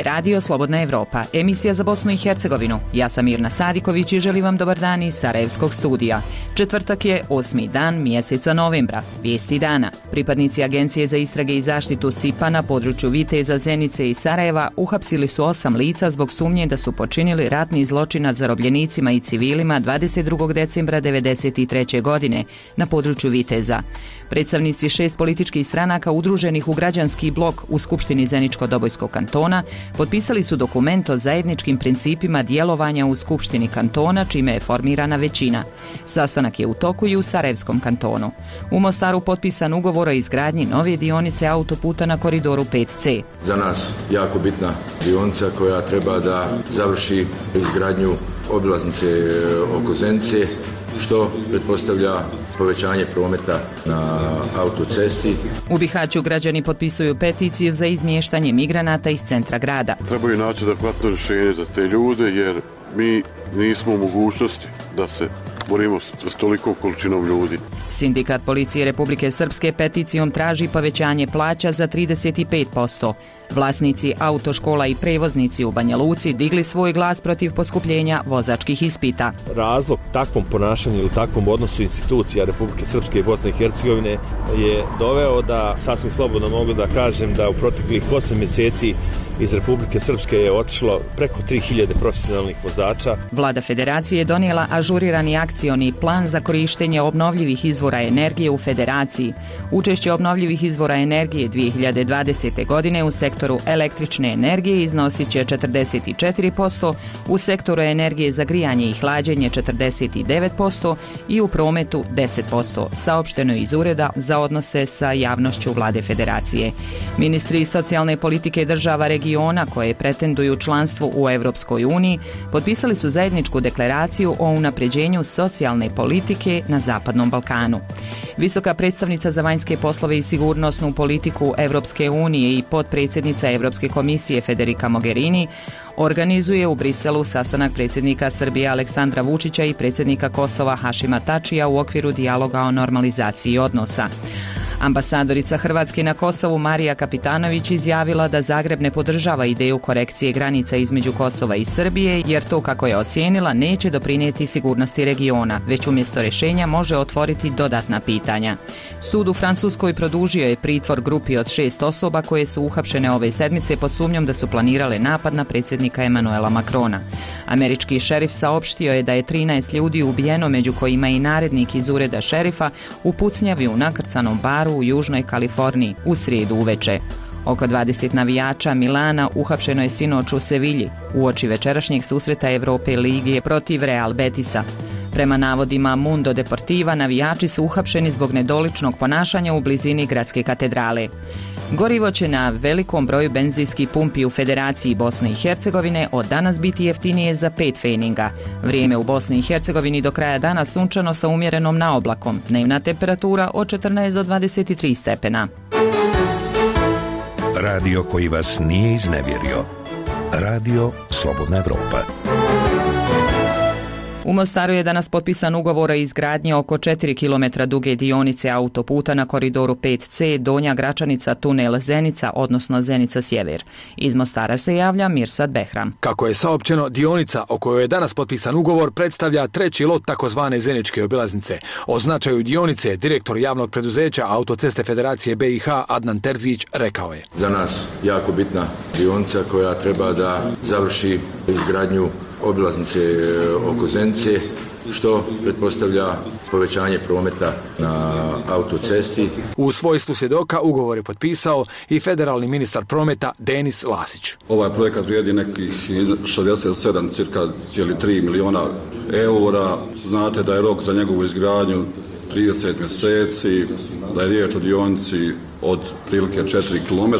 Radio Slobodna Evropa, emisija za Bosnu i Hercegovinu. Ja sam Mirna Sadiković i želim vam dobar dan iz Sarajevskog studija. Četvrtak je 8. dan mjeseca novembra. Vijesti dana. Pripadnici Agencije za istrage i zaštitu SIPA na području Viteza, Zenice i Sarajeva uhapsili su 8 lica zbog sumnje da su počinili ratni zločin nad zarobljenicima i civilima 22. decembra 1993. godine na području Viteza. Predstavnici 6 političkih stranaka udruženih u građanski blok u Skupštini Zeničko-Dobojskog kantona potpisali su dokument o zajedničkim principima djelovanja u Skupštini kantona, čime je formirana većina. Sastanak je u toku i u Sarajevskom kantonu. U Mostaru potpisan ugovor o izgradnji nove dionice autoputa na koridoru 5C. Za nas jako bitna dionica koja treba da završi izgradnju obilaznice oko Zenice, što pretpostavlja povećanje prometa na autocesti. U Bihaću građani potpisuju peticiju za izmještanje migranata iz centra grada. Trebaju naći adekvatno rješenje za te ljude jer mi nismo u mogućnosti da se borimo s tolikom količinom ljudi. Sindikat policije Republike Srpske peticijom traži povećanje plaća za 35%. Vlasnici autoškola i prevoznici u Banja Luci digli svoj glas protiv poskupljenja vozačkih ispita. Razlog takvom ponašanju ili takvom odnosu institucija Republike Srpske i Bosne i Hercegovine je doveo da sasvim slobodno mogu da kažem da u proteklih 8 mjeseci iz Republike Srpske je otišlo preko 3000 profesionalnih vozača. Vlada Federacije je donijela ažurirani akcioni plan za korištenje obnovljivih izvora energije u Federaciji. Učešće obnovljivih izvora energije 2020. godine u sektoru električne energije iznosit će 44%, u sektoru energije za grijanje i hlađenje 49% i u prometu 10%, saopšteno iz Ureda za odnose sa javnošću Vlade Federacije. Ministri socijalne politike država regiona koje pretenduju članstvo u Europskoj uniji potpisali su zajedničku deklaraciju o unapređenju socijalne politike na Zapadnom Balkanu. Visoka predstavnica za vanjske poslove i sigurnosnu politiku Europske unije i potpredsjednica Europske komisije Federica Mogherini organizuje u Briselu sastanak predsjednika Srbije Aleksandra Vučića i predsjednika Kosova Hašima Tačija u okviru dijaloga o normalizaciji odnosa. Ambasadorica Hrvatske na Kosovu Marija Kapitanović izjavila da Zagreb ne podržava ideju korekcije granica između Kosova i Srbije jer to, kako je ocijenila, neće doprinijeti sigurnosti regiona, već umjesto rješenja može otvoriti dodatna pitanja. Sud u Francuskoj produžio je pritvor grupi od 6 osoba koje su uhapšene ove sedmice pod sumnjom da su planirale napad na predsjednika Emanuela Macrona. Američki šerif saopštio je da je 13 ljudi ubijeno, među kojima i narednik iz ureda šerifa, u pucnjavi u nakrcanom baru u Južnoj Kaliforniji u srijedu uveče. Oko 20 navijača Milana uhapšeno je sinoć u Sevilji uoči večerašnjeg susreta Evrope Lige protiv Real Betisa. Prema navodima Mundo Deportiva, navijači su uhapšeni zbog nedoličnog ponašanja u blizini gradske katedrale. Gorivo će na velikom broju benzinskih pumpi u Federaciji Bosne i Hercegovine od danas biti jeftinije za 5 pfeninga. Vrijeme u Bosni i Hercegovini do kraja dana sunčano sa umjerenom naoblakom. Dnevna temperatura od 14 do 23 stepena. Radio koji vas nije iznevjerio. Radio Slobodna Evropa. U Mostaru je danas potpisan ugovor o izgradnji oko 4 km duge dionice autoputa na koridoru 5C Donja Gračanica tunel Zenica, odnosno Zenica Sjever. Iz Mostara se javlja Mirsad Behram. Kako je saopćeno, dionica o kojoj je danas potpisan ugovor predstavlja treći lot takozvane Zeničke obilaznice. O značaju dionice direktor javnog preduzeća Autoceste Federacije BiH Adnan Terzić rekao je: Za nas jako bitna dionica koja treba da završi izgradnju obilaznice oko Zenice, što pretpostavlja povećanje prometa na autocesti. U svojstvu svjedoka ugovor je potpisao i federalni ministar prometa Denis Lasić. Ovaj projekat vrijedi nekih 67,3 miliona eura. Znate da je rok za njegovu izgradnju 30 mjeseci, da je riječ o dionici od prilike 4 km.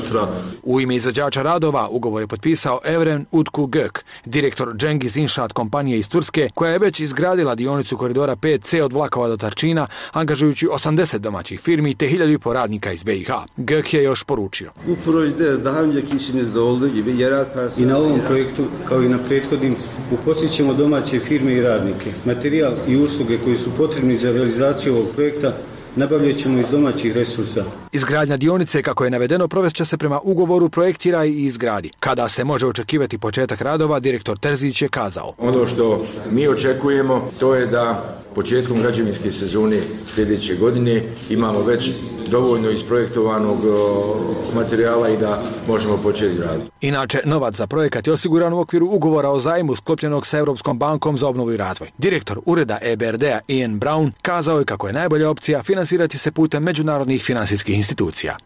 U ime izvođača radova ugovor je potpisao Evren Utku Gök, direktor Cengiz Inšaat kompanije iz Turske, koja je već izgradila dionicu koridora 5C od Vlakova do Tarčina, angažujući 80 domaćih firmi te 1500 radnika iz BiH. Gök je još poručio: I na ovom projektu, kao i na prethodnim, uposlit ćemo domaće firme i radnike. Materijal i usluge koji su potrebni za realizaciju ovog projekta nabavljat ćemo iz domaćih resursa. Izgradnja dionice, kako je navedeno, provest će se prema ugovoru projektira i izgradi. Kada se može očekivati početak radova, direktor Terzić je kazao. Ono što mi očekujemo, to je da početkom građevinske sezone sljedeće godine imamo već dovoljno isprojektovanog materijala i da možemo početi raditi. Inače, novac za projekat je osiguran u okviru ugovora o zajmu sklopljenog sa Europskom bankom za obnovu i razvoj. Direktor ureda EBRD-a Ian Brown kazao je kako je najbolja opcija finansirati se putem međunarodnih finansijskih institucija.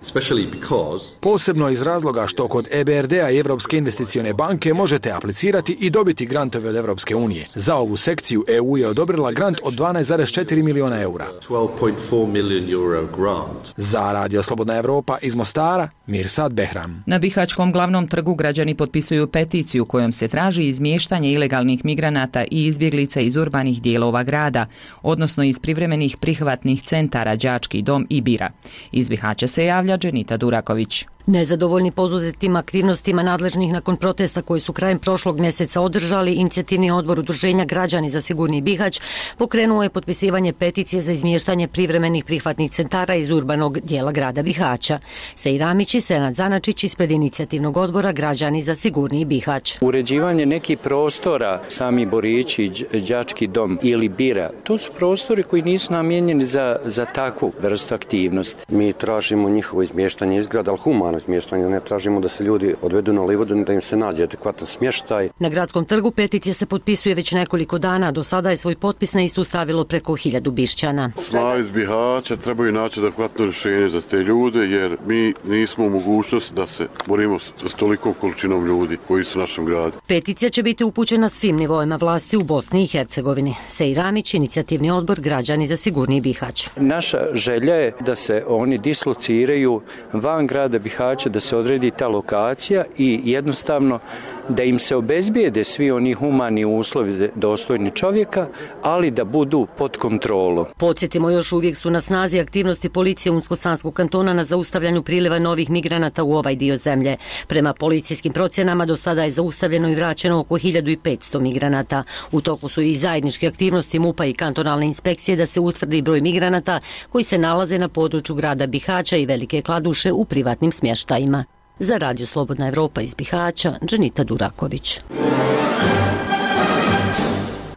Posebno iz razloga što kod EBRD-a i Europske investicione banke možete aplicirati i dobiti grantove od Europske unije. Za ovu sekciju EU je odobrila grant od 12,4 miliona eura. Za Radio Slobodna Evropa iz Mostara, Mirsad Behram. Na Bihaćkom glavnom trgu građani potpisuju peticiju kojom se traži izmještanje ilegalnih migranata i izbjeglica iz urbanih dijelova grada, odnosno iz privremenih prihvatnih centara Đački dom i Bira. Iz Bihaća se javlja Dženita Duraković. Nezadovoljni poduzetim aktivnostima nadležnih nakon protesta koji su krajem prošlog mjeseca održali, inicijativni odbor Udruženja Građani za sigurniji Bihać pokrenuo je potpisivanje peticije za izmještanje privremenih prihvatnih centara iz urbanog dijela grada Bihaća. Sejramić i Senad Zanačić ispred inicijativnog odbora Građani za sigurniji Bihać. Uređivanje nekih prostora, sami Borići, Đački dom ili Bira, to su prostori koji nisu namijenjeni za takvu vrstu aktivnosti. Mi tražimo njihovo izmještanje iz grada, ali humano smještanje, ne tražimo da se ljudi odvedu na Livodu, da im se nađe adekvatan smještaj. Na gradskom trgu peticija se potpisuje već nekoliko dana, do sada je svoj potpis na istu stavilo preko 1000 Bišćana. Sma iz Bihaća trebaju naći adekvatno rješenje za te ljude, jer mi nismo u mogućnosti da se borimo s tolikom količinom ljudi koji su u našem gradu. Peticija će biti upućena svim nivoima vlasti u Bosni i Hercegovini. Sejramić, inicijativni odbor Građani za sigurniji Bihać. Naša želja je da se oni dislociraju van grada Bihaća, da se odredi ta lokacija i jednostavno da im se obezbijede svi oni humani uslovi dostojni čovjeka, ali da budu pod kontrolom. Podsjetimo, još uvijek su na snazi aktivnosti policije Unsko-Sanskog kantona na zaustavljanju priliva novih migranata u ovaj dio zemlje. Prema policijskim procjenama do sada je zaustavljeno i vraćeno oko 1500 migranata. U toku su i zajedničke aktivnosti MUP-a i kantonalne inspekcije da se utvrdi broj migranata koji se nalaze na području grada Bihaća i Velike Kladuše u privatnim smještajima. Za Radio Slobodna Evropa iz Bihaća, Dženita Duraković.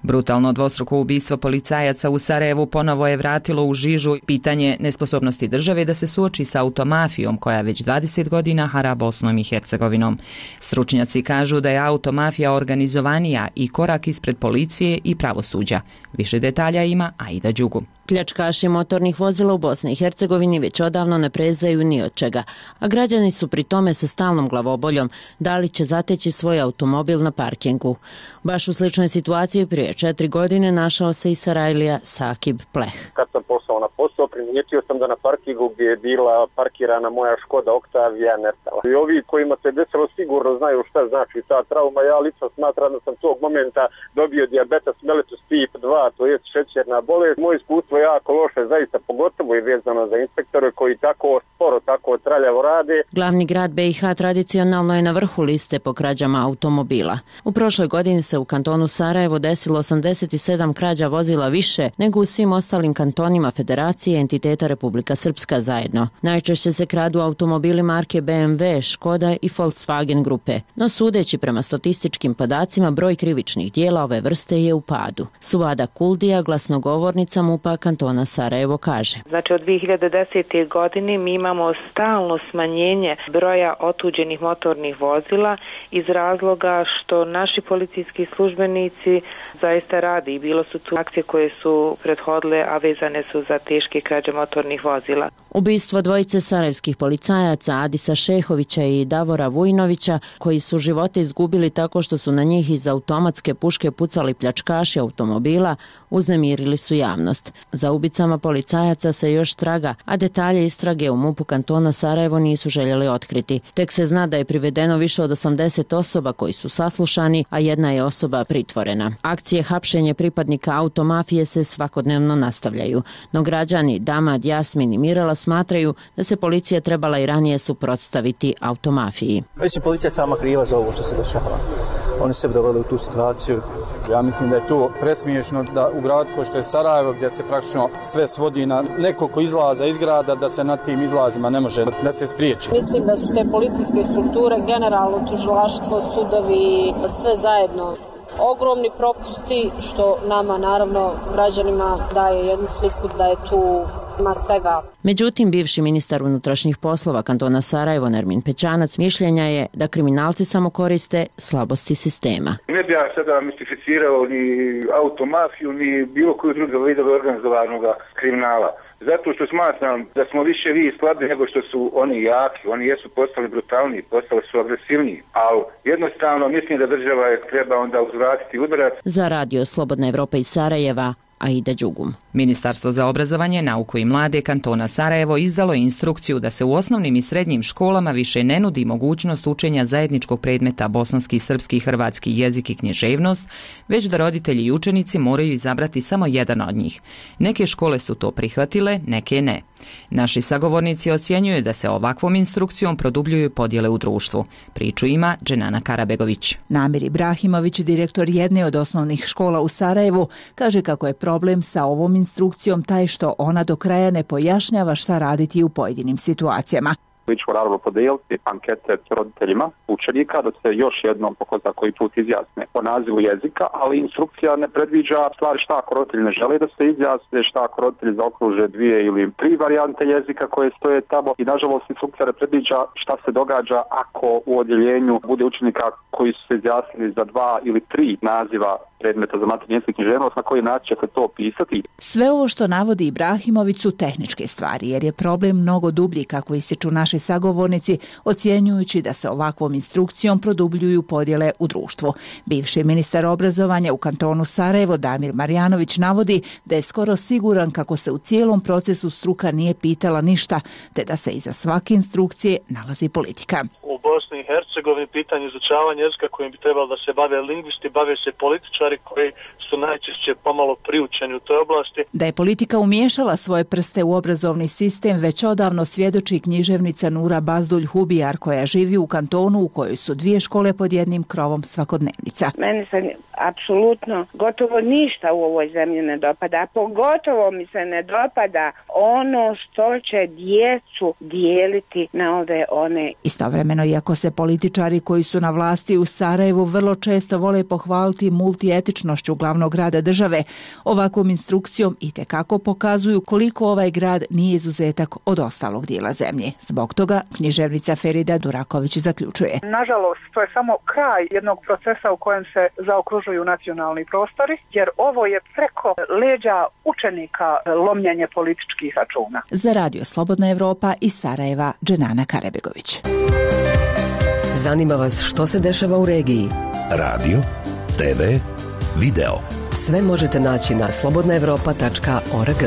Brutalno dvostruko ubistvo policajaca u Sarajevu ponovo je vratilo u žižu pitanje nesposobnosti države da se suoči sa automafijom koja već 20 godina hara Bosnom i Hercegovinom. Stručnjaci kažu da je automafija organizovanija i korak ispred policije i pravosuđa. Više detalja ima Aida Đugu. Pljačkaši motornih vozila u Bosni i Hercegovini već odavno ne prezaju ni od čega, a građani su pri tome sa stalnom glavoboljom da li će zateći svoj automobil na parkingu. Baš u sličnoj situaciji prije 4 godine našao se i Sarajlija Sakib Pleh. Kad sam poslao na posao, primijetio sam da na parkingu gdje je bila parkirana moja Škoda Octavia nestala. I ovi kojima se desilo sigurno znaju šta znači ta trauma. Ja lično smatram da sam tog momenta dobio dijabetes mellitus tip 2, to je šećerna bolest. Moje iskustvo je jako loše, zaista, pogotovo i vezano za inspektore koji tako sporo, tako traljavo rade. Glavni grad BiH tradicionalno je na vrhu liste po krađama automobila. U prošloj godini se u kantonu Sarajevo desilo 87 krađa vozila više nego u svim ostalim kantonima Federacije i entiteta Republika Srpska zajedno. Najčešće se kradu automobili marke BMW, Škoda i Volkswagen grupe, no sudeći prema statističkim podacima broj krivičnih dijela ove vrste je u padu. Suvada Kuldija, glasnogovornica MUP-a kantona Sarajevo, kaže. Znači od 2010. godine mi imamo stalno smanjenje broja otuđenih motornih vozila iz razloga što naši policijski službenici zaista radi i bilo su tu akcije koje su prethodile, a vezane su za teške krađe motornih vozila. Ubistvo dvojice sarajevskih policajaca Adisa Šehovića i Davora Vujnovića, koji su živote izgubili tako što su na njih iz automatske puške pucali pljačkaši automobila, uznemirili su javnost. Za ubicama policajaca se još traga, a detalje istrage u MUP-u kantona Sarajevo nisu željeli otkriti. Tek se zna da je privedeno više od 80 osoba koji su saslušani, a jedna je osoba pritvorena. Akcije hapšenje pripadnika automafije se svakodnevno nastavljaju, no građani Damad, Jasmin i Mirela smatraju da se policija trebala i ranije suprotstaviti automafiji. Mislim, policija je sama kriva za ovo što se dešava. Oni se doveli u tu situaciju Ja mislim da je to presmiješno da u gradu kao što je Sarajevo, gdje se praktično sve svodi na nekoliko izlaza iz grada, da se na tim izlazima ne može da se spriječi. Mislim da su te policijske strukture, generalno tužilaštvo, sudovi, sve zajedno ogromni propusti, što nama, naravno, građanima daje jednu sliku da je tu ima svega. Međutim, bivši ministar unutrašnjih poslova kantona Sarajevo Nermin Pećanac mišljenja je da kriminalci samo koriste slabosti sistema. Ne bi ja sada mistificirao ni automafiju, ni bilo koju drugu vidove organizovanog kriminala. Zato što smatram da smo više vi slabi nego što su oni jaki. Oni jesu postali brutalniji, postali su agresivniji. Ali jednostavno mislim da država je treba onda uzvratiti udarac. Za radio Slobodna Evropa iz Sarajeva, Aida Đugum. Ministarstvo za obrazovanje, nauku i mlade kantona Sarajevo izdalo je instrukciju da se u osnovnim i srednjim školama više ne nudi mogućnost učenja zajedničkog predmeta bosanski, srpski i hrvatski jezik i književnost, već da roditelji i učenici moraju izabrati samo jedan od njih. Neke škole su to prihvatile, neke ne. Naši sagovornici ocjenjuju da se ovakvom instrukcijom produbljuju podjele u društvu. Priču ima Dženana Karabegović. Namir Ibrahimović, direktor jedne od osnovnih škola u Sarajevu, kaže kako je problem sa ovom instrukcijom taj što ona do kraja ne pojašnjava šta raditi u pojedinim situacijama. Mi ćemo naravno podijeliti ankete s roditeljima učenika da se još jednom po ko zna koji put izjasne o nazivu jezika, ali instrukcija ne predviđa stvari šta ako roditelji ne žele da se izjasne, šta ako roditelji zaokruže 2 ili 3 varijante jezika koje stoje tamo i nažalost instrukcija ne predviđa šta se događa ako u odjeljenju bude učenika koji su se izjasnili za 2 ili 3 naziva predmeta za maternji jezik i književnost, na koji način će se to opisati. Sve ovo što navodi Ibrahimović su tehničke stvari, jer je problem mnogo dublji, kako ističu naši sagovornici, ocjenjujući da se ovakvom instrukcijom produbljuju podjele u društvu. Bivši ministar obrazovanja u kantonu Sarajevo Damir Marjanović navodi da je skoro siguran kako se u cijelom procesu struka nije pitala ništa, te da se iza svake instrukcije nalazi politika. U Bosni i Hercegovini pitanje izučavanja jezika kojim bi trebalo da se bave lingvisti, bave se političari koji su najčešće pomalo priučeni u toj oblasti. Da je politika umiješala svoje prste u obrazovni sistem već odavno svjedoči književnica Nura Bazdulj Hubijar, koja živi u kantonu u kojoj su 2 škole pod jednim krovom svakodnevnica. Meni se apsolutno gotovo ništa u ovoj zemlji ne dopada, pogotovo mi se ne dopada ono što će djecu dijeliti na ove one. Istovremeno, iako se političari koji su na vlasti u Sarajevu vrlo često vole pohvaliti multietičnošću glavnog grada države, ovakvom instrukcijom itekako pokazuju koliko ovaj grad nije izuzetak od ostalog dijela zemlje. Zbog toga književnica Ferida Duraković zaključuje. Nažalost, to je samo kraj jednog procesa u kojem se zaokružuju nacionalni prostori, jer ovo je preko leđa učenika lomljenje političkih računa. Za radio Slobodna Evropa iz Sarajeva, Dženana Karabegović. Zanima vas što se dešava u regiji? Radio, TV, video. Sve možete naći na slobodnaevropa.org.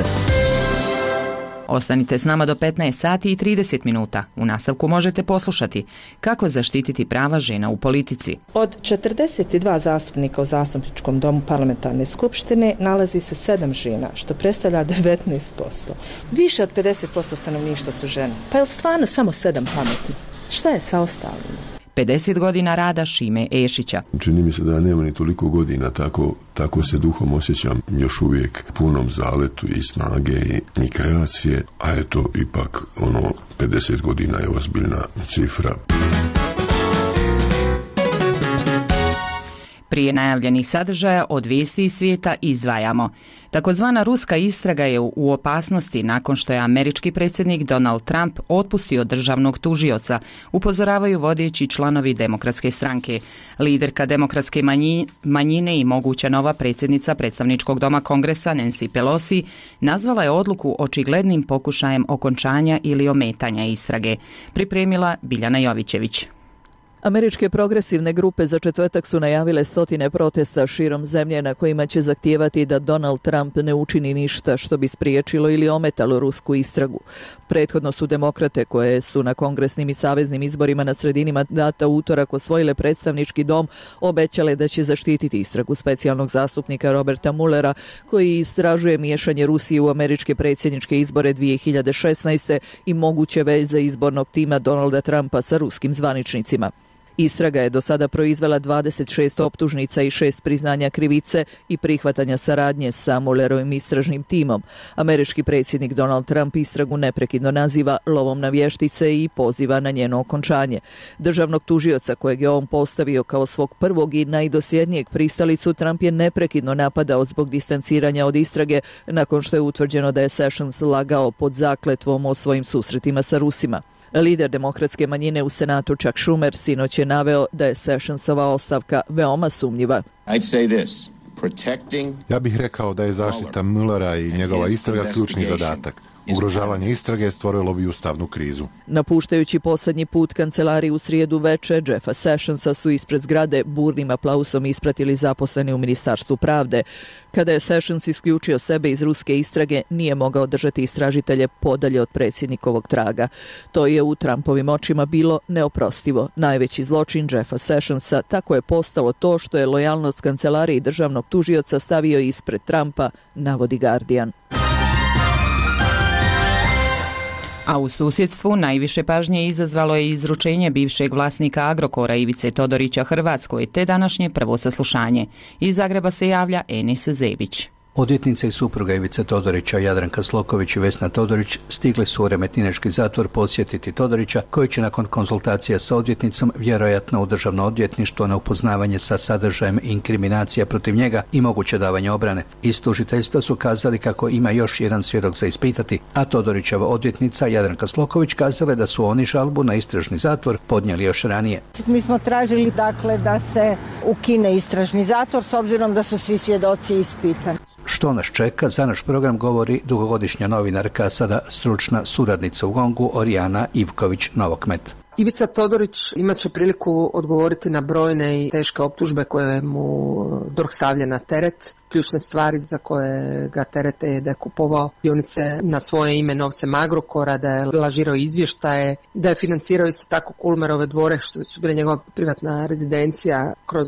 Ostanite s nama do 15 sati i 30 minuta. U nastavku možete poslušati kako zaštititi prava žena u politici. Od 42 zastupnika u Zastupničkom domu parlamentarne skupštine nalazi se 7 žena, što predstavlja 19%. Više od 50% stanovništva su žene. Pa je li stvarno samo 7 pametni? Šta je sa ostalima? 50 godina rada Šime Ešića. Čini mi se da nema ni toliko godina, tako se duhom osjećam još uvijek punom zaletu i snage i kreacije, a eto ipak 50 godina je ozbiljna cifra. Prije najavljenih sadržaja od vijesti iz svijeta izdvajamo. Takozvana ruska istraga je u opasnosti nakon što je američki predsjednik Donald Trump otpustio državnog tužioca, upozoravaju vodeći članovi Demokratske stranke. Liderka Demokratske manjine i moguća nova predsjednica predstavničkog doma Kongresa Nancy Pelosi nazvala je odluku očiglednim pokušajem okončanja ili ometanja istrage. Pripremila Biljana Jovićević. Američke progresivne grupe za četvrtak su najavile stotine protesta širom zemlje na kojima će zahtijevati da Donald Trump ne učini ništa što bi spriječilo ili ometalo rusku istragu. Prethodno su demokrate, koje su na kongresnim i saveznim izborima na sredini mandata utorak osvojile predstavnički dom, obećale da će zaštititi istragu specijalnog zastupnika Roberta Muellera, koji istražuje miješanje Rusije u američke predsjedničke izbore 2016. i moguće veze izbornog tima Donalda Trumpa sa ruskim zvaničnicima. Istraga je do sada proizvela 26 optužnica i 6 priznanja krivice i prihvatanja saradnje sa Muellerovim istražnim timom. Američki predsjednik Donald Trump istragu neprekidno naziva lovom na vještice i poziva na njeno okončanje. Državnog tužioca kojeg je on postavio kao svog prvog i najdosljednijeg pristalicu, Trump je neprekidno napadao zbog distanciranja od istrage nakon što je utvrđeno da je Sessions lagao pod zakletvom o svojim susretima sa Rusima. Lider demokratske manjine u Senatu Chuck Schumer sinoć je naveo da je Sessionsova ostavka veoma sumnjiva. Ja bih rekao da je zaštita Muellera i njegova istraga ključni zadatak. Ugrožavanje istrage stvorilo bi ustavnu krizu. Napuštajući posljednji put kancelariju u srijedu veče, Jeffa Sessionsa su ispred zgrade burnim aplausom ispratili zaposleni u Ministarstvu pravde. Kada je Sessions isključio sebe iz ruske istrage, nije mogao držati istražitelje podalje od predsjednikovog traga. To je u Trumpovim očima bilo neoprostivo. Najveći zločin Jeffa Sessionsa tako je postalo to što je lojalnost kancelariji državnog tužioca stavio ispred Trumpa, navodi Guardian. A u susjedstvu najviše pažnje izazvalo je izručenje bivšeg vlasnika Agrokora Ivice Todorića Hrvatskoj te današnje prvo saslušanje. Iz Zagreba se javlja Enis Zebić. Odvjetnica i supruga Ivice Todorića, Jadranka Sloković i Vesna Todorić, stigli su u Remetinečki zatvor posjetiti Todorića, koji će nakon konzultacija sa odvjetnicom vjerojatno u državno odvjetništvo na upoznavanje sa sadržajem inkriminacija protiv njega i moguće davanje obrane. Iz tužiteljstva su kazali kako ima još jedan svjedok za ispitati, a Todorićeva odvjetnica Jadranka Sloković kazala da su oni žalbu na istražni zatvor podnijeli još ranije. Mi smo tražili da se ukine istražni zatvor s obzirom da su svi svjedoci ispitani. Što nas čeka, za naš program govori dugogodišnja novinarka, sada stručna suradnica u GONG-u Orijana Ivković-Novokmet. Ivica Todorić imat će priliku odgovoriti na brojne i teške optužbe koje mu DORH stavlja na teret. Ključne stvari za koje ga terete je da je kupovao dionice na svoje ime novcem Agrokora, da je lažirao izvještaje, da je financirao isto tako Kulmerove dvore, što su bile njegova privatna rezidencija, kroz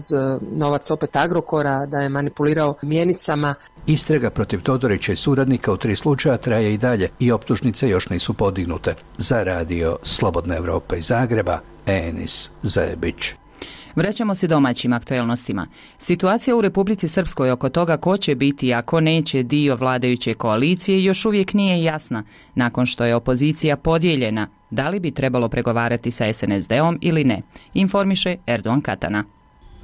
novac opet Agrokora, da je manipulirao mjenicama. Istraga protiv Todorića i suradnika u 3 slučaja traje i dalje i optužnice još nisu podignute. Za radio Slobodna Evropa iz Zagreba, Enis Zebić. Vraćamo se domaćim aktuelnostima. Situacija u Republici Srpskoj oko toga ko će biti, a ko neće dio vladajuće koalicije još uvijek nije jasna. Nakon što je opozicija podijeljena, da li bi trebalo pregovarati sa SNSD-om ili ne, informiše Erdogan Katana.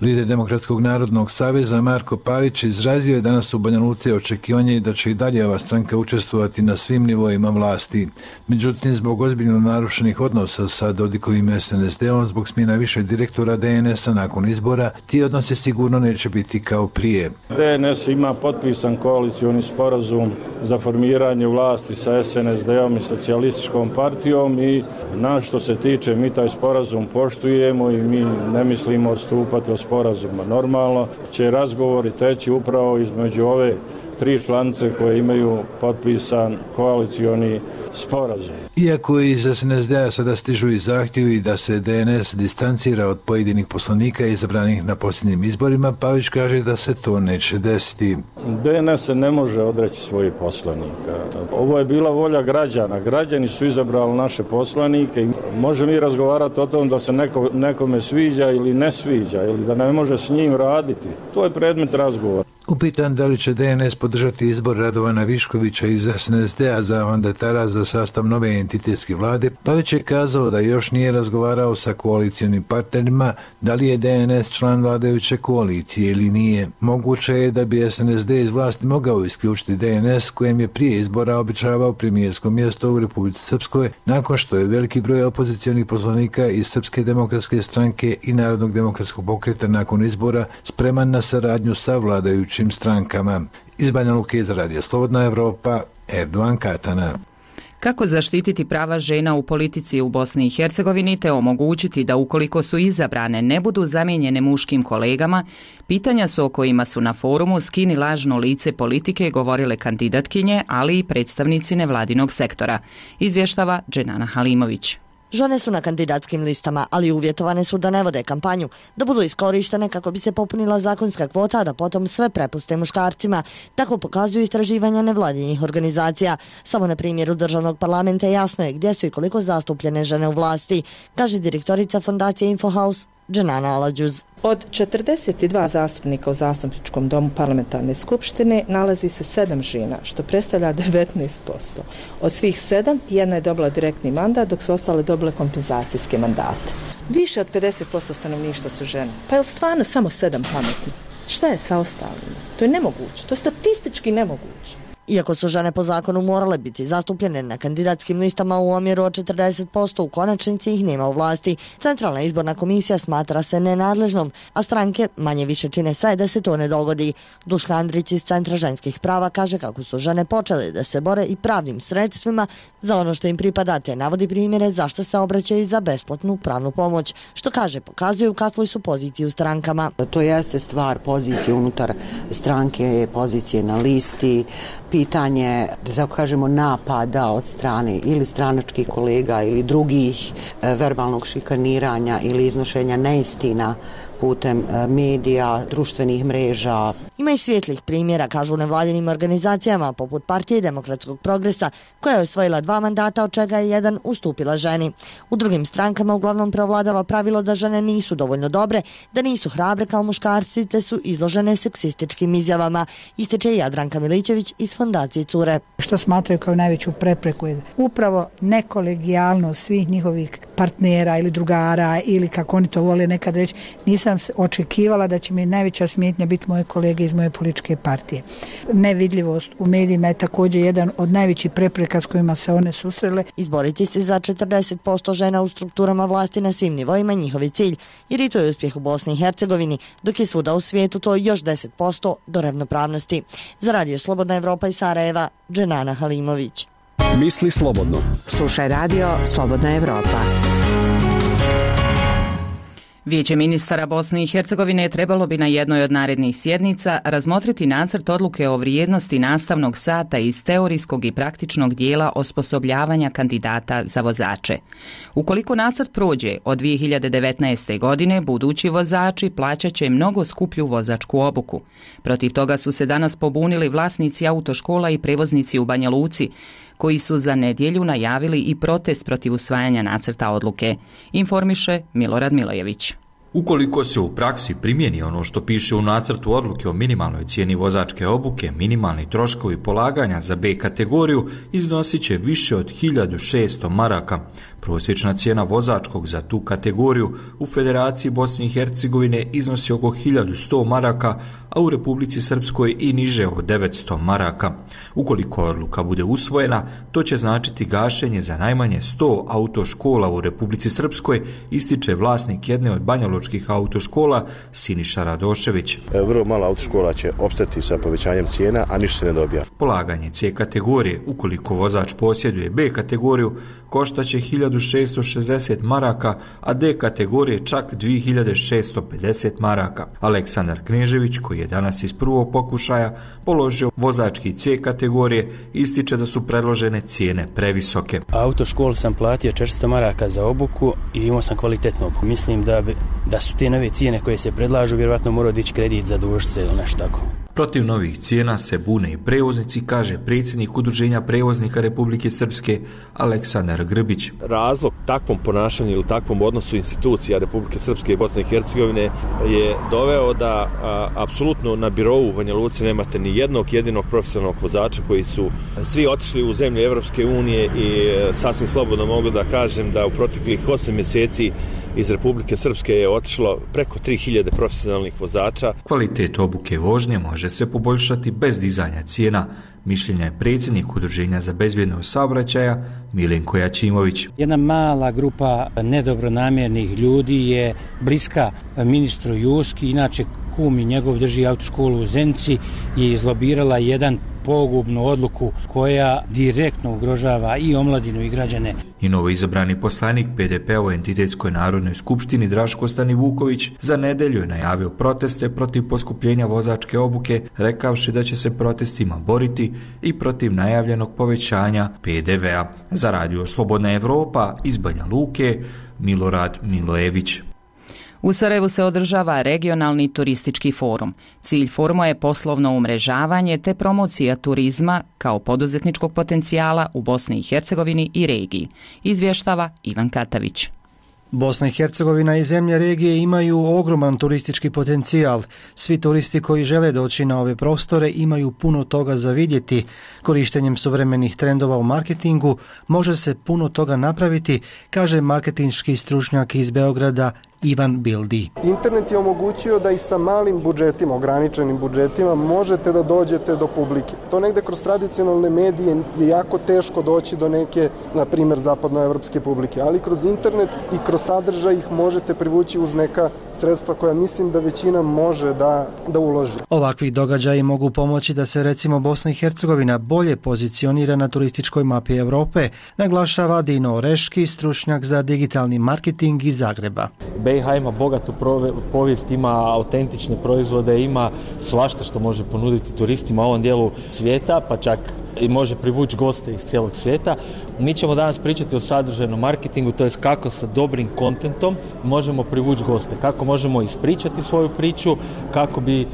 Lider Demokratskog narodnog saveza Marko Pavić izrazio je danas u Banja Luci očekivanje da će i dalje ova stranka učestvovati na svim nivoima vlasti. Međutim, zbog ozbiljno narušenih odnosa sa Dodikovim SNSD-om zbog smjena više direktora DNS-a nakon izbora, ti odnosi sigurno neće biti kao prije. DNS ima potpisan koalicioni sporazum za formiranje vlasti sa SNSD-om i socijalističkom partijom i na što se tiče mi taj sporazum poštujemo i mi ne mislimo odstupati od sporazuma. Normalno će razgovori teći upravo između ove 3 članice koje imaju potpisan koalicioni sporazum. Iako iz SNSD-a sada stižu i zahtjevi da se DNS distancira od pojedinih poslanika izabranih na posljednjim izborima, Pavić kaže da se to neće desiti. DNS se ne može odreći svojih poslanika. Ovo je bila volja građana. Građani su izabrali naše poslanike i možemo mi razgovarati o tom da se nekome sviđa ili ne sviđa ili da ne može s njim raditi. To je predmet razgovora. Upitan da li će DNS podržati izbor Radovana Viškovića iz SNSD-a za mandatara za sastav nove entitetske vlade, Pavić je kazao da još nije razgovarao sa koalicijonim partnerima da li je DNS član vladajuće koalicije ili nije. Moguće je da bi SNSD iz vlasti mogao isključiti DNS kojem je prije izbora obećavao premijersko mjesto u Republici Srpskoj nakon što je veliki broj opozicionih poslanika iz Srpske demokratske stranke i Narodnog demokratskog pokreta nakon izbora spreman na saradnju sa vladajućim strankama. Iz Banja Luke za radio Slobodna Evropa, Erdogan Katana. Kako zaštititi prava žena u politici u Bosni i Hercegovini te omogućiti da ukoliko su izabrane ne budu zamijenjene muškim kolegama, pitanja su o kojima su na forumu Skini lažno lice politike govorile kandidatkinje, ali i predstavnici nevladinog sektora, izvještava Dženana Halimović. Žene su na kandidatskim listama, ali uvjetovane su da ne vode kampanju, da budu iskorištene kako bi se popunila zakonska kvota, a da potom sve prepuste muškarcima. Tako pokazuju istraživanja nevladinih organizacija. Samo na primjeru državnog parlamenta jasno je gdje su i koliko zastupljene žene u vlasti, kaže direktorica fondacije Infohouse Dženana Aladžuz. Od 42 zastupnika u Zastupničkom domu parlamentarne skupštine nalazi se 7 žena, što predstavlja 19%. Od svih 7, jedna je dobila direktni mandat, dok su ostale dobile kompenzacijske mandate. Više od 50% stanovništva su žene. Pa je li stvarno samo 7 pametni? Šta je sa ostalima? To je nemoguće. To je statistički nemoguće. Iako su žene po zakonu morale biti zastupljene na kandidatskim listama u omjeru od 40%, u konačnici ih nema u vlasti. Centralna izborna komisija smatra se nenadležnom, a stranke manje više čine sve da se to ne dogodi. Duška Andrić iz Centra ženskih prava kaže kako su žene počele da se bore i pravnim sredstvima za ono što im pripada, te navodi primjere zašto se obraćaju za besplatnu pravnu pomoć, što kaže pokazuju u kakvoj su poziciji u strankama. To jeste stvar pozicije unutar stranke, pozicije na listi, pitanje, da tako kažemo, napada od strane ili stranačkih kolega ili drugih, verbalnog šikaniranja ili iznošenja neistina putem medija, društvenih mreža. Ima i svjetlih primjera, kažu u nevladinim organizacijama poput Partije demokratskog progresa, koja je osvojila 2 mandata, od čega je jedan ustupila ženi. U drugim strankama uglavnom preovladava pravilo da žene nisu dovoljno dobre, da nisu hrabre kao muškarci, te su izložene seksističkim izjavama, ističe Jadranka Milićević iz Fondacije Cure. Što smatraju kao najveću prepreku je upravo nekolegijalnost svih njihovih partnera ili drugara, ili kako oni to vole nekad reći, nisam očekivala da će mi najveća smetnja biti moje kolege iz moje političke partije. Nevidljivost u medijima je također jedan od najvećih prepreka s kojima se one susrele. Izboriti se za 40% žena u strukturama vlasti na svim nivoima je njihov cilj, jer i to je uspjeh u Bosni i Hercegovini, dok je svuda u svijetu to još 10% do ravnopravnosti. Za Radio Slobodna Evropa iz Sarajeva, Dženana Halimović. Misli slobodno. Slušaj Radio Slobodna Evropa. Vijeće ministara Bosne i Hercegovine trebalo bi na jednoj od narednih sjednica razmotriti nacrt odluke o vrijednosti nastavnog sata iz teorijskog i praktičnog dijela osposobljavanja kandidata za vozače. Ukoliko nacrt prođe, od 2019. godine budući vozači plaćat će mnogo skuplju vozačku obuku. Protiv toga su se danas pobunili vlasnici autoškola i prevoznici u Banja Luci, koji su za nedjelju najavili i protest protiv usvajanja nacrta odluke, informiše Milorad Milojević. Ukoliko se u praksi primjeni ono što piše u nacrtu odluke o minimalnoj cijeni vozačke obuke, minimalni troškovi polaganja za B kategoriju iznosit će više od 1600 maraka. Prosječna cijena vozačkog za tu kategoriju u Federaciji Bosne i Hercegovine iznosi oko 1100 maraka, a u Republici Srpskoj i niže od 900 maraka. Ukoliko odluka bude usvojena, to će značiti gašenje za najmanje 100 autoškola u Republici Srpskoj, ističe vlasnik jedne od banjalučkih autoškola Siniša Radošević. Vrlo malo autoškola će opstati sa povećanjem cijena, a ništa se ne dobija. Polaganje C kategorije, ukoliko vozač posjeduje B kategoriju, koštaće 1660 maraka, a D kategorije čak 2650 maraka. Aleksandar Knežević, koji je danas iz prvog pokušaja položio vozački C kategorije, ističe da su predložene cijene previsoke. Autoškolu sam platio 400 maraka za obuku i imao sam kvalitetnu obuku. Mislim da su te nove cijene koje se predlažu, vjerovatno mora dići kredit za dužce ili nešto tako. Protiv novih cijena se bune i prevoznici, kaže predsjednik Udruženja prevoznika Republike Srpske Aleksandar Grbić. Razlog takvom ponašanju ili takvom odnosu institucija Republike Srpske i Bosne i Hercegovine je doveo da apsolutno na birou u Banja Luci nemate ni jednog jedinog profesionalnog vozača, koji su svi otišli u zemlje Evropske unije i sasvim slobodno mogu da kažem da u proteklih 8 mjeseci iz Republike Srpske je otišlo preko 3000 profesionalnih vozača. Kvalitet obuke vožnje može se poboljšati bez dizanja cijena, mišljenja je predsjednik Udruženja za bezbjednost saobraćaja Milenko Jačimović. Jedna mala grupa nedobronamjernih ljudi je bliska ministru Juski, inače kum i njegov drži autoškolu u Zenici, je izlobirala jedan pogubnu odluku koja direktno ugrožava i omladinu i građane. I novo izabrani poslanik PDP-a u Entitetskoj narodnoj skupštini Draško Stanivuković za nedelju je najavio proteste protiv poskupljenja vozačke obuke, rekavši da će se protestima boriti i protiv najavljenog povećanja PDV-a. Za Radio Slobodna Evropa iz Banja Luke, Milorad Milojević. U Sarajevu se održava regionalni turistički forum. Cilj foruma je poslovno umrežavanje te promocija turizma kao poduzetničkog potencijala u Bosni i Hercegovini i regiji, izvještava Ivan Katavić. Bosna i Hercegovina i zemlje regije imaju ogroman turistički potencijal. Svi turisti koji žele doći na ove prostore imaju puno toga za vidjeti. Korištenjem suvremenih trendova u marketingu može se puno toga napraviti, kaže marketinški stručnjak iz Beograda Ivan Bildi. Internet je omogućio da i sa malim budžetima, ograničenim budžetima, možete da dođete do publike. To negde kroz tradicionalne medije je jako teško doći do neke, na primjer, zapadnoevropske publike, ali kroz internet i kroz sadržaj ih možete privući uz neka sredstva koja mislim da većina može da uloži. Ovakvi događaji mogu pomoći da se recimo Bosna i Hercegovina bolje pozicionira na turističkoj mapi Europe, naglašava Dino Oreški, stručnjak za digitalni marketing iz Zagreba. BiH ima bogatu povijest, ima autentične proizvode, ima svašta što može ponuditi turistima u ovom dijelu svijeta, pa čak i može privući goste iz cijelog svijeta. Mi ćemo danas pričati o sadržajnom marketingu, to je kako sa dobrim kontentom možemo privući goste, kako možemo ispričati svoju priču, kako bi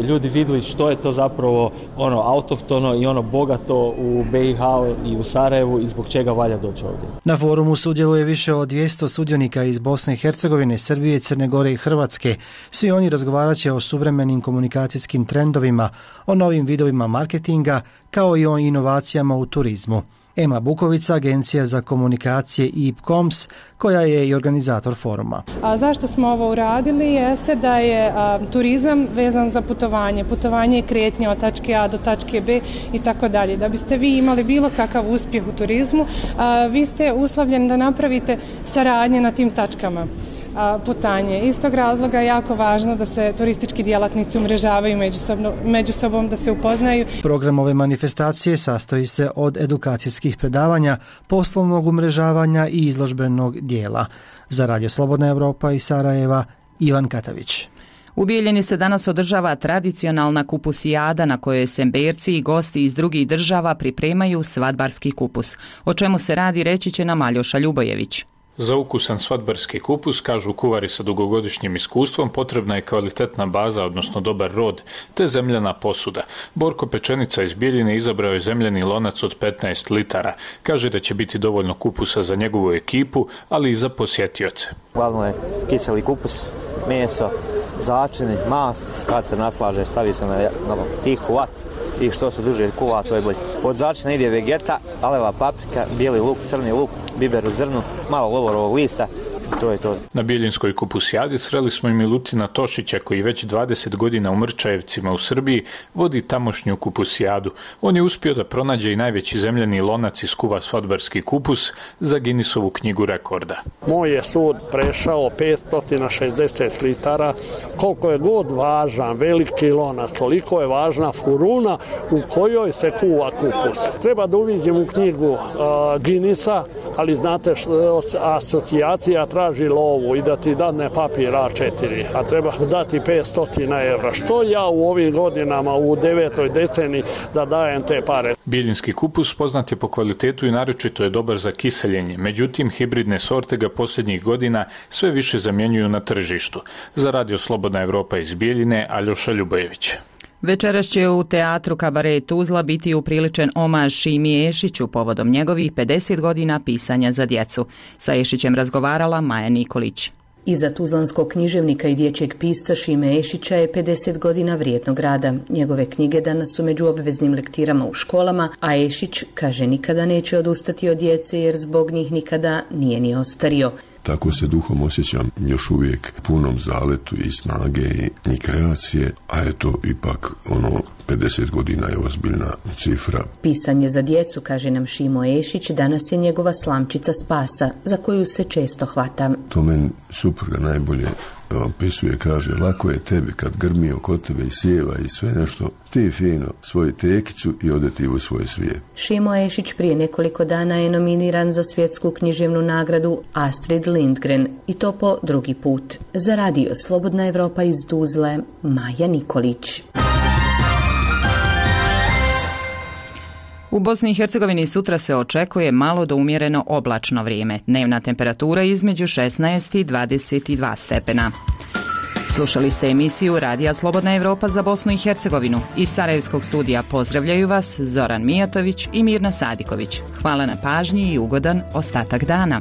ljudi vidjeli što je to zapravo ono autohtono i ono bogato u BiH i u Sarajevu i zbog čega valja doći ovdje. Na forumu sudjeluje više od 200 sudionika iz Bosne i Hercegovine, Srbije, Crne Gore i Hrvatske. Svi oni razgovarat će o suvremenim komunikacijskim trendovima, o novim vidovima marketinga, kao i o inovacijama u turizmu. Ema Bukovica, Agencija za komunikacije IPCOMS, koja je i organizator foruma. Zašto smo ovo uradili jeste da je turizam vezan za putovanje. Putovanje i kretnje od tačke A do tačke B i tako dalje. Da biste vi imali bilo kakav uspjeh u turizmu, vi ste uslovljeni da napravite saradnje na tim tačkama putanje. Iz tog razloga je jako važno da se turistički djelatnici umrežavaju među sobom, da se upoznaju. Program ove manifestacije sastoji se od edukacijskih predavanja, poslovnog umrežavanja i izložbenog dijela. Za Radio Slobodna Evropa iz Sarajeva, Ivan Katavić. U Bijeljini se danas održava tradicionalna kupusijada na kojoj semberci i gosti iz drugih država pripremaju svadbarski kupus. O čemu se radi reći će nam Aljoša Ljubojević. Za ukusan svadbarski kupus, kažu kuvari sa dugogodišnjim iskustvom, potrebna je kvalitetna baza, odnosno dobar rod, te zemljana posuda. Borko Pečenica iz Bijeljine izabrao je zemljani lonac od 15 litara. Kaže da će biti dovoljno kupusa za njegovu ekipu, ali i za posjetioce. Glavno je kiseli kupus, meso, začini, mast, kad se naslaže stavi se na tihu vatru i što se duže kuva, to je bolje. Od začina ide vegeta, aleva paprika, bijeli luk, crni luk, biber u zrnu, malo lovorovog lista. To je to. Na Bijeljinskoj kupusijadi sreli smo i Milutina Tošića, koji već 20 godina u Mrčajevcima u Srbiji vodi tamošnju kupusijadu. On je uspio da pronađe i najveći zemljani lonac i skuva svadbarski kupus za Guinnessovu knjigu rekorda. Moj je sud prešao 560 litara. Koliko je god važan veliki lonac, toliko je važna furuna u kojoj se kuva kupus. Treba da uviđem u knjigu Guinnessa, ali znate asocijacija traži lovu i da ti dadne papir A4, a treba dati 500 evra. Što ja u ovim godinama, u 9. deceniji, da dajem te pare? Bijeljinski kupus poznat je po kvalitetu i naročito je dobar za kiseljenje. Međutim, hibridne sorte ga posljednjih godina sve više zamjenjuju na tržištu. Za Radio Slobodna Evropa iz Bijeljine, Aljoša Ljubojević. Večeras će u teatru Kabaret Tuzla biti upriličen omaž Šimi Ešiću povodom njegovih 50 godina pisanja za djecu. Sa Ešićem razgovarala Maja Nikolić. Iza tuzlanskog književnika i dječjeg pisca Šime Ešića je 50 godina vrijednog rada. Njegove knjige danas su među obveznim lektirama u školama, a Ešić kaže nikada neće odustati od djece jer zbog njih nikada nije ni ostario. Tako se duhom osjećam još uvijek punom zaletu i snage i kreacije, a eto ipak 50 godina je ozbiljna cifra. Pisanje za djecu, kaže nam Šimo Ešić, danas je njegova slamčica spasa, za koju se često hvata. To meni supruga najbolje opisuje, kaže, lako je tebi kad grmi oko tebe i sjeva i sve nešto, ti fino svoju tekicu i ode ti u svoj svijet. Šimo Ešić prije nekoliko dana je nominiran za svjetsku književnu nagradu Astrid Lindgren i to po drugi put. Za Radio Slobodna Evropa iz Tuzle, Maja Nikolić. U Bosni i Hercegovini sutra se očekuje malo do umjereno oblačno vrijeme. Dnevna temperatura između 16 i 22 stepena. Slušali ste emisiju Radija Slobodna Evropa za Bosnu i Hercegovinu. Iz Sarajevskog studija pozdravljaju vas Zoran Mijatović i Mirna Sadiković. Hvala na pažnji i ugodan ostatak dana.